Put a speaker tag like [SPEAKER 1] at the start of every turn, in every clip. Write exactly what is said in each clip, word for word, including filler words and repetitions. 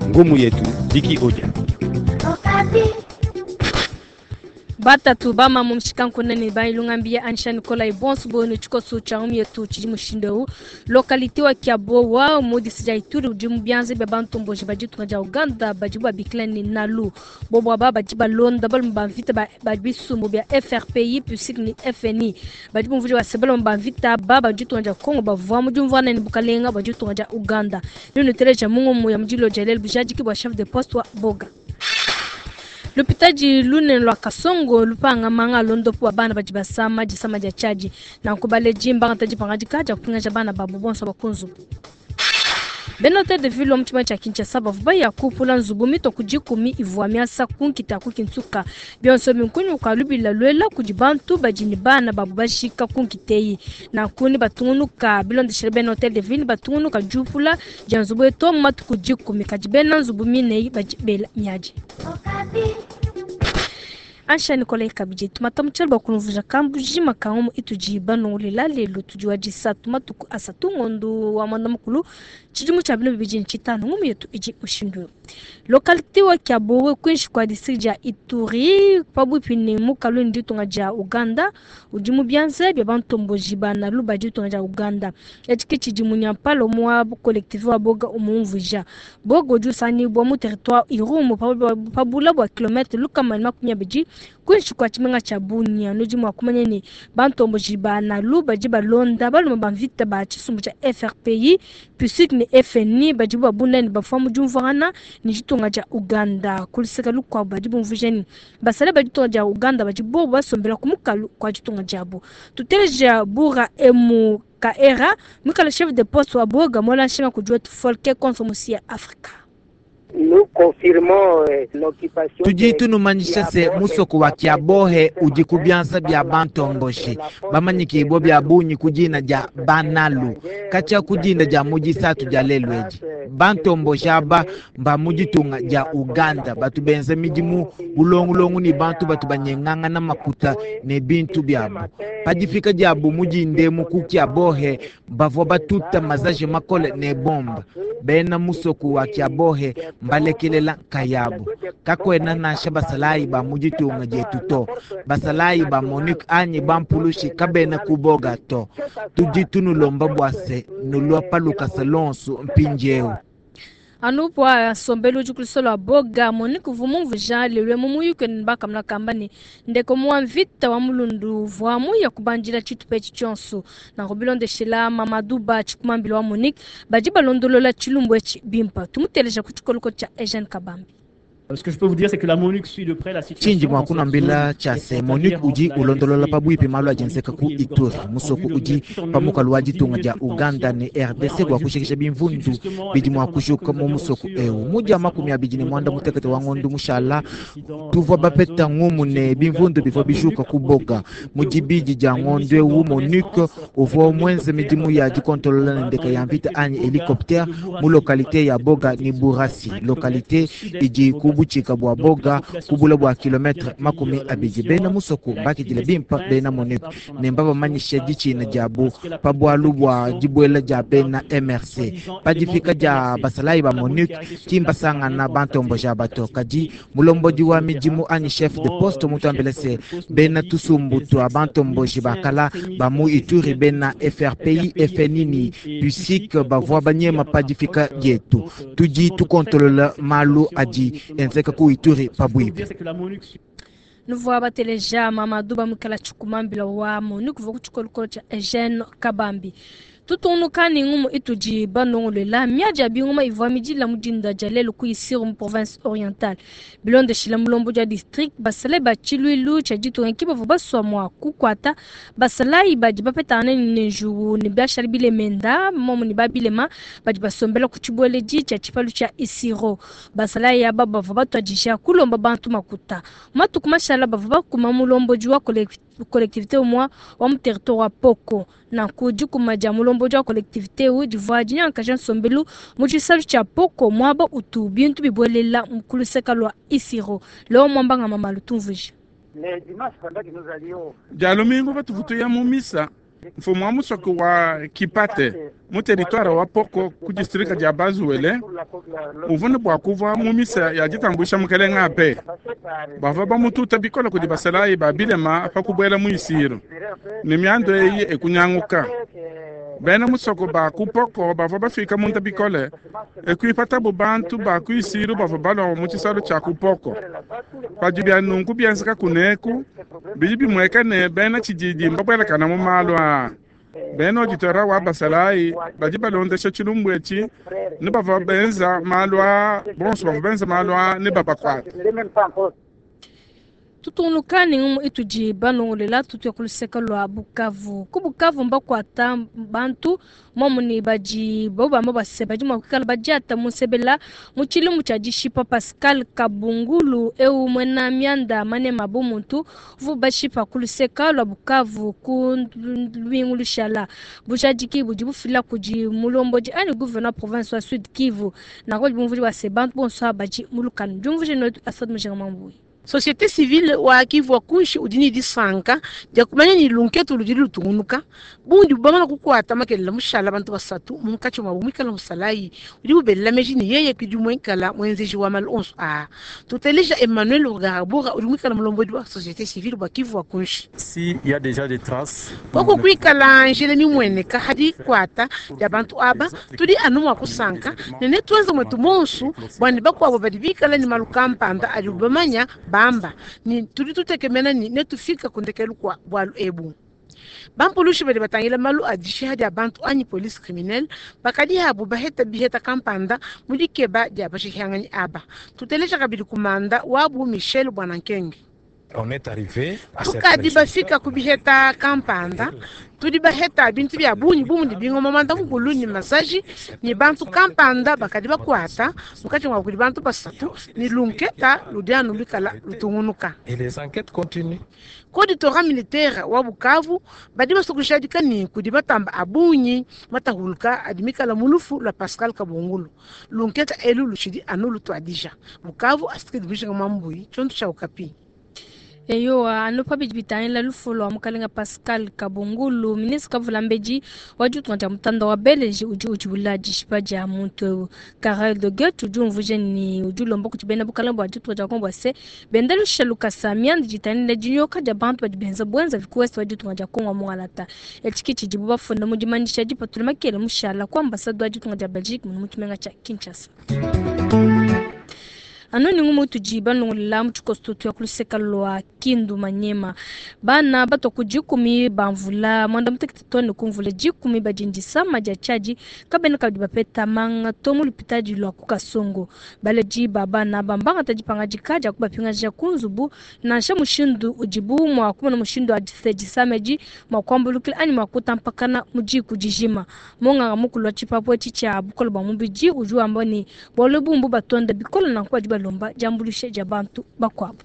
[SPEAKER 1] Ngumu yetu Diki Odia.
[SPEAKER 2] Batatu bama mushikankunene ne bailungambiya Anisha Nikolai bonso bonu tshikoso tshia ngumu yetu tshidi mushindu eu localité wa Kiabowa mu district dia Ituri udi mu bianza bia bantomboji ba ditunga dia Uganda badi babikila ne Nalu bobo aba badi balonda balume ba mvita ba ba bisumbu bia F R P I PUSIC ne F N I badi bumvuija base balume ba mvita ba ba ditunga dia Congo bavua mu diumvuana ne bukalenga ba ditunga dia Uganda nunu teleja mu ngumu ya mudilo dia lelu bujadiki bua chef de poste wa Boga. Lupitaji lune lwa Kasongo lupanga manga londopo wa bana badi basama disama dia chaji na nkubale jimba ngataji pangadika ja kupinga bana babu bonso bakunzu. Benote de ville mchima cha Kinshasa bavuba ya kupula nzubu mito kujikumi ivua miasa kunkita kukinsuka bionso minkunyu kalubila lwela kujibantu bajini bana babu bashika kunkiteyi na kuni batungunuka bilondeshele Benote de ville batungunuka jupula janzubu eto matu kujikumi kajibena nzubu mineyi bajibela miaji. Ansha Nikolai Kabije tumata muchalo bakunvuja kambu jima kangu itujiba nolila lelo tujiwa jisatu matuku asatu ngondo wa mwanda mukulu chidimu cha bino bibiji nchitano ngumu yetu iji mushindu localité wa Kiabowe kwinshi kwa district ya Ituri pabwipi ni mukalu nditunga ja Uganda udimu byanze bya bantomboji bana luba ditunga ja Uganda etiki chidimu nyampalo mwa collectif wa Boga umumvuja Bogo jusani bwa mu territoire Irumu pabula bwa kilometre lukama makumi abiri kwinshi kwa chimenga cha Bunia nudi mwa kumanya ni bantomboji bana luba jibalonda baluma bamvita ba chisumbu cha F R P I PUSIC ni F N I bajibu babunda ni bafamu jumvana ni jitunga ja Uganda kuliseka lukwa bajibu mvujeni basale bajitunga ja Uganda bajibu basombela kumukalu kwa jitunga jabo tuteleja bura emu kaera mikala chef de poste wa Boga mola nshinga kujua tufolke konsomusi ya Afrika.
[SPEAKER 3] Nous confirmons l'occupation.
[SPEAKER 4] Tujitu numanyisha se musoko wa Kiabohe udi kubyansa bya bantomboshi bamanyikibwa bya bunyi kujina ja banalu kacha kujinda ja mujisatu ja lelweji bantomboshi aba mba mujitunga ja Uganda batu benza midimu bulongulongu ni bantu batu banyenganga na makuta ne bintu byabo pajifika jabu mujindemu ku Kiabohe bavwa batuta mazaje makole ne bomba bena musoko wa Kiabohe mbalekelela kayabu kakwena nasha basalayi ba mujitunga jetu to basalayi ba Monique anyi bampulushi kabena kuboga to tujitunulomba bwase nulwa paluka salonsu mpinjeu
[SPEAKER 2] Anupo sombelu jukulisolo wa Boga Monique vumumvuja lelwe mumuyuke nbaka mlakamba ni ndeko muamvita wa mulundu vwamu ya kubanjila chitupe chonso na robilondeshela Mamadou Chikumambilo wa Monique baji balondolola chilumbu echi bimpa tumuteleja kuchikoloko cha Eugene Kabambi.
[SPEAKER 5] Ce que je peux vous dire, c'est que la MONUC suit de près la situation.
[SPEAKER 4] Chinji mwakuna mbila cha se MONUC uji ulondolola pabwipi malu ajenseka ku Ituri musoko uji pamukalu wajitunga ja Uganda ni R D C bwa kushikisha bimvundu bidi mwakushuka mu musoko eu muja makumi abiji ni mwanda mutekete wa ngondu mushala tuvwa bapeta ngumu ne bimvundu bivwa bishuka kuboga mujibiji ja ngondu eu MONUC uvwa mwenze midimu ya jikontolola na ndeka ya mvita anyi helicoptère mu localité ya Boga ni Burasi localité iji kubu chika bwa Boga kubula bwa kilometre makumi abiji bena musoko bakijile bimpa bena MONUC nemba bamanyisha jichina jabu pabwalu bwa jibwela ja bena M R C pajifika ja basalayi ba MONUC kimbasanga na bantombo ja bato kaji mulomboji wa mijimu anyi chef de poste mutambelese bena tusumbu twa bantombo jibakala ba mu Ituri bena F R P I F N I ni PUSIC bavwa banyema pajifika yetu tuji tukontolola malu aji enzeka ku Ituri pabwibi.
[SPEAKER 2] Nous bateleja Mamadou Bamukala Chikumambila wa MONUC vokuchikoloko cha Eugene Kabambi. Tutunuka ni ngumu ituji banongolela miaja binguma ivwa mijila mujinda jalelo ku Isiro mu province orientale bilonde shila mulombo ja district basale ba chiluilu cha jitunga kiba baswa mwa kukwata basala ibaji bapetana ni njugu ni biashara bile menda momo ni babilema baji basombela ku chibweleji cha chipalu cha Isiro basala ya baba batwajisha kulomba bantu makuta matuku mashala bava kuma mulombo jwa collectivité au moins wa mu territoire wa Poko na kuji kumaja mulombo jwa collectivité u divaji nyanka sombelu mu chisalu cha Poko mwaba utu bintu bibwelela mkuluseka lwa Isiro leo mwamba nga mama lutumvuja
[SPEAKER 6] Jalomingo batuvutuya mu misa Mfumu wa musoko wa Kipate mu territoire wa Poko ku district dia Bas-Uele uvune bua kuva mu misa ya ditambusha mukelenga ape bava bamututa bikola kudi basalayi ba bilema pa kubuela mu isiro ne miando eyi ekunyanguka. Bena musoko ba ku Poko bava bafika munda bikole ekuipatabu bantu ba ku isiro bava balwa mu tshisalo tshia ku Poko. Padi bia nunku bienzeka kuneku bidi bimueka ne bena tshididi mbabuelakana mu malu aa. Bena auditora wa basalayi badi balondesha tshilumbu etshi ne bava benza malu aa bonso bava benza malu aa ne babakuata.
[SPEAKER 2] Tutungunuka ne ngumu itudi balongolela tutuya ku luseke lua Bukavu. Ku Bukavu mbakuata bantu momuni badi bobamba base badi mua kuikala badiata mu nsebela mu tshilumbu tshia dishipa Pascal Kabungulu eu muena mianda manema bu muntu uvu bashipa ku luseke lua Bukavu ku lumingu lushala. Bujadiki budi bufila kudi mulombodi anyi gouverneur province wa Sud Kivu nanku badi bumvudi base bantu bonso aba badi mu lukanu. Diumvuije netu Asad Mujinga Mambui.
[SPEAKER 7] Société civile wa Kivu kunshi udi ne disanka dia kumanya ni lunketu ludi lutungunuka bundi bamana kukwata makelela mushala bantu basatu munkatshi mwabu mwikala musalayi udi bubelela meji ni yeye kudi mwenkala mwenzeji wa malu onso aa. Tuteleja Emmanuel Rugarabura udi mwikala mulombodi wa société civile wa Kivu wa kunshi.
[SPEAKER 8] Si il y a déjà des traces
[SPEAKER 7] Koko kwikala njele mimweneka hadi kwata ya bantu aba tudi anu mwa kusanka nene twenza mwetu monsu bwani bakwabo badi bikala ni malu kampanda adi bamanya bamba ni tudi tutekemena ni netufika kundekelu kwa bwalu ebu. Bampulushi badi batangila malu a dishiha dia bantu anyi police criminelle bakadi habu baheta biheta kampanda mu dikeba dia bashihanganyi aba. Tuteleja kabidi kumanda wabu Michel Bwanankenge.
[SPEAKER 8] On est arrivé à
[SPEAKER 7] Tukadi bafika kubiheta kampanda tudi baheta bintu bya bunyi bumundi bingoma manda mukulu ni masaji ni bantu kampanda bakadi bakwata mukati mwa kudi bantu basatu ni lunketa ludianu lukala lutungunuka.
[SPEAKER 8] Et les enquêtes continuent.
[SPEAKER 7] Koditora militaire wa Bukavu badi basokushadika ni kudi batamba abunyi matahuluka adimikala mulufu la Pascal Kabungulu lunketa elu lushidi anu lutwadija Bukavu asikidi bishinga mambui chontu cha Okapi.
[SPEAKER 2] Eyowa anu pabidi bitangila lufu lua mukalenga Pascal Kabungulu ministre kavula mbedi wa ditunga dia mutanda wa Belge udi utshibula dishipa dia muntu eu. Karel de Gucht udi umvuija ni udi ulomba kuti bena bukalenga bua ditunga dia Kongo bua se benda lusha lukasa mianda ditangila dinyoka dia bantu badi benza buenza vikuwese wa ditunga dia Kongo mungalata. Etshi tshidibu bafunda mu dimanyisha dipatula makele mushala ku ambasade wa ditunga dia Belgique munu mu tshimenga tshia Kinshasa. Anu ni ngumu tudi balongolela mu tshikoso tuya ku luseka lua Kindu Manyema. Bana batwa ku dikumi bamvula mwanda mutekete tone kumvula dikumi badi ndisama dia tshiadi kabena kabidi bapeta manga to mu lupitadi lua ku Kasongo. Baledi ba bana bambangata dipangadika dia kubapingaja ku nzubu nansha mushindu udibu mua kumona mushindu wa disama edi mua kuambulukila anyi mua kutampakana mu diku dijima. Monganga mukulu wa tshipapu etshi tshia bukole bua mubidi udi wamba ne bualu bumbu batonda bikole nanku badi balomba diambuluisha dia bantu bakuabu.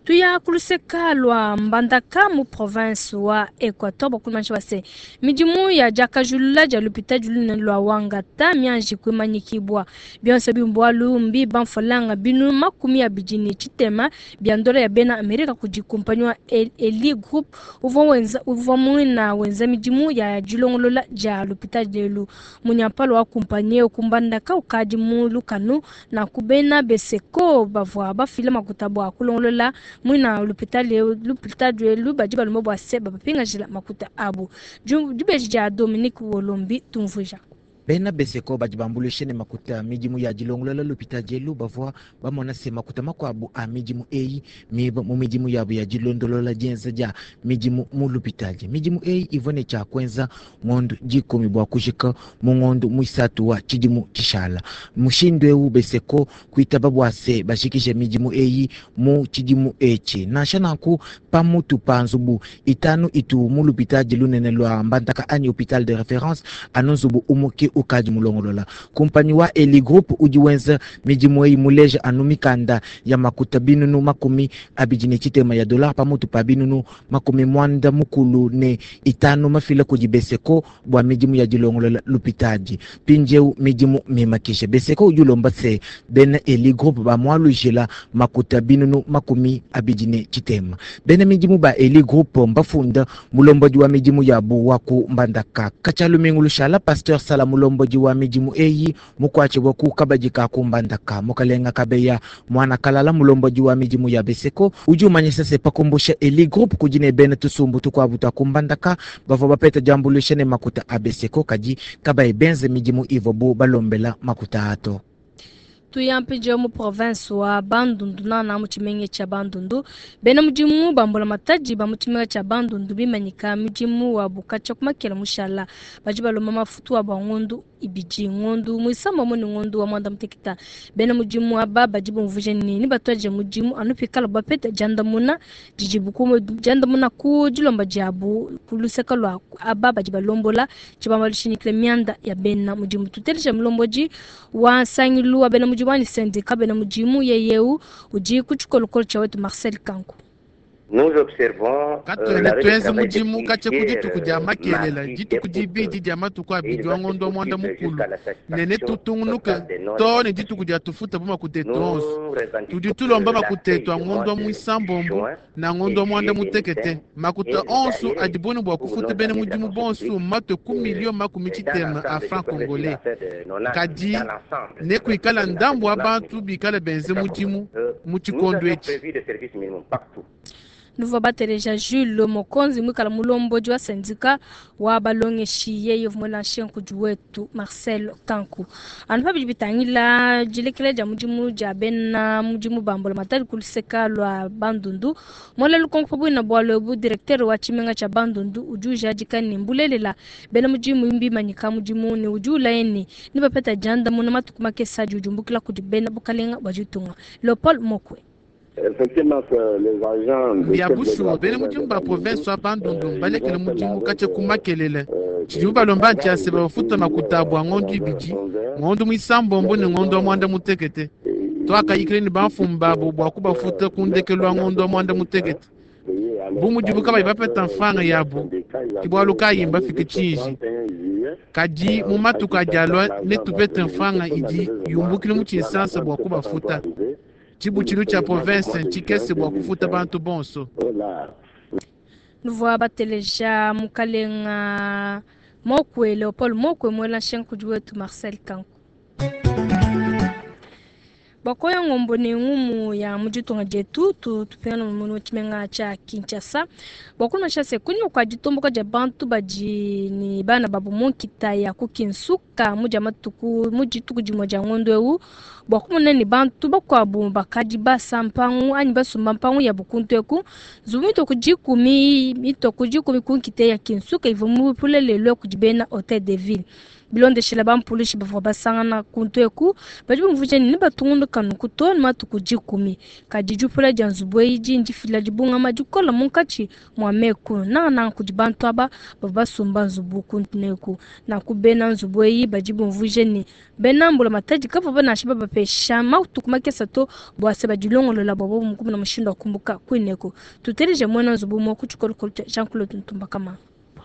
[SPEAKER 2] Tuya kuluseka lua Mbandaka mu province wa Equateur bakulumanyisha base midimu ya diakajulula dia lupitadi lunene lua Wangata mianji kuimanyikibwa bionso bimbualu mbi bamfolanga binu makumi abidi ne tshitema bia ndola ya bena Amerika kudi kumpanyi wa Eli Group uvua wenza uvua muina wenza midimu ya dilongolola dia lupitadi lelu. Munyampalo wa kumpanyi eu ku Mbandaka ukadi mu lukanu na kubena beseko bavua bafila makuta bua kulongolola mwina lupitali lupitali elu badi balomba bua se bapingajila makuta abu. Dibeji dia Dominique Wolombi tumvuija.
[SPEAKER 4] Bena beseko badi bambuluishe ne makuta midimu ya dilongolola lupitadi elu bavua bamona se makuta makuabu a midimu eyi miba mu midimu yabu ya dilondolola dienza dia midimu mu lupitadi. Midimu eyi ivua ne tshia kuenza ngondu dikumi bua kujika mu ngondu muisatu wa tshidimu tshishala. Mushindu eu beseko kuitaba bua se bajikije midimu eyi mu tshidimu etshi. Nansha nanku pamutu pa nzubu itanu itu mu lupitadi lunene lua Mbandaka anyi hôpital de référence anu nzubu umuke ukadi mulongolola. Kumpanyi wa Eli Group udi wenza midimu eyi muleja anu mikanda ya makuta binunu makumi abidi ne tshitema ya dolar pamutu pa binunu makumi mwanda mukulu ne itanu mafila kudi Beseko bua midimu ya dilongolola lupitadi. Mpindieu midimu mimakisha Beseko udi ulomba se bena Eli Group bamualujila makuta binunu makumi abidi ne tshitema. Bena midimu ba Eli Group mbafunda mulombodi wa midimu yabu wa ku Mbandaka. Katshialumingu lushala Pasteur Sala mulombodi wa midimu eyi mukwatshibua ku kabadi ka ku Mbandaka. Mukalenga Kabeya mwana Kalala mulombodi wa midimu ya Beseko udi umanyisa se pakumbusha Eli Group kudi ne bena tusumbu tukwabu twa ku Mbandaka bavua bapeta diambuluisha ne makuta a Beseko kadi kabayi benze midimu ivuabu balombela makuta ato.
[SPEAKER 2] Tuyampi mu province wa Bandundu nana mu tshimenga tsha Bandundu bena mudimu bambola mataji ba mu tshimenga tsha Bandundu bimanyika mudimu wa bukatsha kumakela mushala badi balomba mafutu wa ngondu ibidi ngondu muisamba mu ngondu wa mwanda muteketa bena mudimu aba badi bumvuje nini batwaje mudimu anu pikala bapeta jandamuna dijibuku jandamuna ku dilomba diabu kuluseka lwa aba badi balombola tshibamba lushinikile mianda ya bena mudimu tutelesha mulomboji wa sangilu wa bena mudimu wani syndicat bena mudimu yeyeu udi ku tshikolokolo tsha wetu Marcel Kanku.
[SPEAKER 3] Nous observons
[SPEAKER 6] katwene twenze mudimu katshia ku dituku dia makelela dituku dibidi dia matuku abidi wa ngondo wa mwanda mukulu nene tutungunuka to ne dituku dia tufuta bu makuta etu onso tudi tulomba makuta etu a ngondo wa muisambombo na ngondo wa mwanda mutekete makuta onso adi boni bua kufuta bena mudimu bonso matwe ku milio makumi tshitema a franc congolais kadi ne kuikala ndambu wa bantu bikala benze mudimu mu tshikondo etshi.
[SPEAKER 2] Nouveau bateleja Jules Mokonzi mwikala mulombodi wa syndicat wa balongeshi yeye vumulanshe nkudi wetu Marcel Kanku. Anu pabidi bitangila dilekela dia mudimu dia bena mudimu bambola matali kuluseka lwa Bandundu mola lukonko bwina bwalo bu directeur wa tshimenga tsha Bandundu udi ujadika ne mbulelela bena mudimu mbimanyika mudimu ne udi ulaye ni bapeta janda muna matuku makesa adi udiumbukila kudi bena bukalenga bwa ditunga. Leopold Mokwe.
[SPEAKER 6] Bia bushuwa bena mudimu ba province wa Bandundu balekele mudimu katshia ku makelele tshidimu balomba ntiase bafuta makuta abu a ngondu ibidi ngondu muisambombo ne ngondu wa mwanda mutekete twakayikile ne bamfumu babu bua kubafuta ku ndekelu wa ngondu wa mwanda mutekete bu mudibu kabayi bapeta mfranga yabu ke bualu kayi mbafike tshinji kadi mu matuku adi alua netupete mfranga idi yumbukile mu tshinsansa bua kubafuta. Tshibutshilu tsha province ntshikese bua kufuta bantu bonso.
[SPEAKER 2] Nuvua bateleja mukalenga Mokwe Leopold Mokwe mwela nshenkudi wetu Marcel Kanku. Bakoya ngombo ne ngumu ya muditunga dietu tupena mu tshimenga tsha Kinshasa bakuna shase kunyuma kwa ditomboka dia bantu badi ni bana babu munkita ya kukinsuka mudia matuku mudituku dimue dia ngondo eu bwakumona ni bantu bakwabu bakadi basa mpangu anyi basumba mpangu ya bukuntu eku nzubu mitoku dikumi mitoku dikumi kunkita ya Kinsuka ivua mupulelelwe kudi bena Hotel de Ville bilondeshela bampulishi bavua basangana kuntu eku badi bumvuija ne batungunuka nunku to ne matuku dikumi kadi diupula dia nzubu eyi dindi fila dibungama dikola munkatshi mua meku nangananga kudi bantu aba bavua basumba nzubu kuntu neku nanku bena nzubu eyi badi bumvuija ne bena mbula matadi kavua banansha babapesha matuku makesa to bua se badilongolola bua bobu mukumuna mushindu wa kumbuka kuineku tuteleje muena nzubu umue ku tshikolokolo tshia Jean Claude Ntumba Kamanga.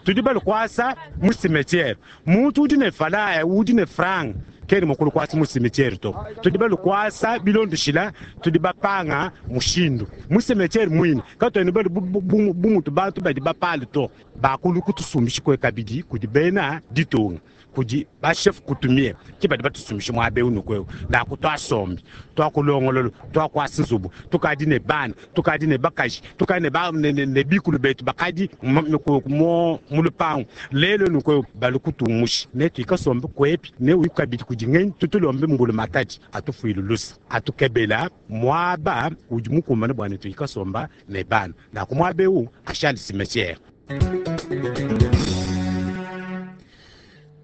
[SPEAKER 1] Tudi balukwasa mu cimetière muntu udi ne falaya udi ne franc keni mukulu kwasa mu cimetière to tudi balukwasa bilondushila tudi bapanga mushindu mu cimetière mwine katwene balu bumutu bantu badi bapale to bakulu kutusumbishi kwe kabidi kudi bena ditunga kudi ba chef coutumier ki badi batusumbisha muaba eu nuku eu naku twasombi twakulongololo twakwasa nzubu tukadi ne bana tukadi ne bakaji tukadi ne, ba, ne, ne, ne bikulu betu bakadi mu lupangu lelo nuku eu balukutumusha ne tuikasombe kwepi ne uyu kabidi kudi ngenyi tutulombe mbulu matadi atufuile lusa atukebela muaba udi mukumbane bua ne tuikasomba ne bana naku muaba eu ashali cimetière.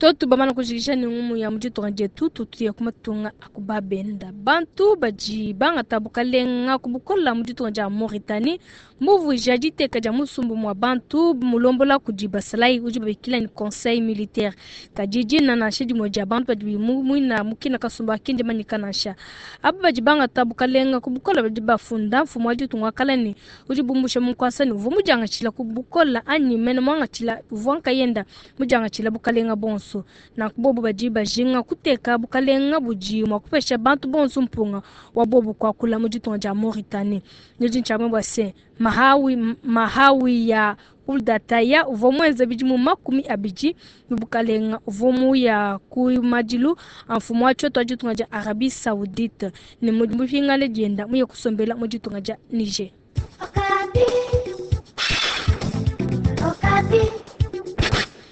[SPEAKER 2] Toto bamana kujikisha ne ngumu ya mu ditunga dietu tutuye ku matunga akubabenda bantu badi bangata bukalenga ku bukola mu ditunga dia Mauritanie muvuija diteka dia musumbu mwa bantu mulombola kudi basalayi udi babikila ni conseil militaire kadi dina nansha dimue dia bantu badi muina mukina kasumba akindi manyika nansha aba badi bangata bukalenga ku bukola badi bafunda mfumu wa ditunga kala ne udi bumbusha munkwasa ne uvua mudiangatshila ku bukola anyi mene muangatshila uvua nkayenda mudiangatshila bukalenga bonso nanku bobo badi bajinga kuteka bukalenga budi mua kupesha bantu bonso mpunga wa bobo kuakula mu ditunga dia Mauritanie nudi ntshiamwe bua se mahawi mahawi ya uldataya uvua muenze bidimu makumi abidi mu bukalenga uvua muya ku madilu a mfumu wa tshioto wa ditunga dia Arabie Saoudite ne mupingane dienda muye kusombela mu ditunga dia Niger.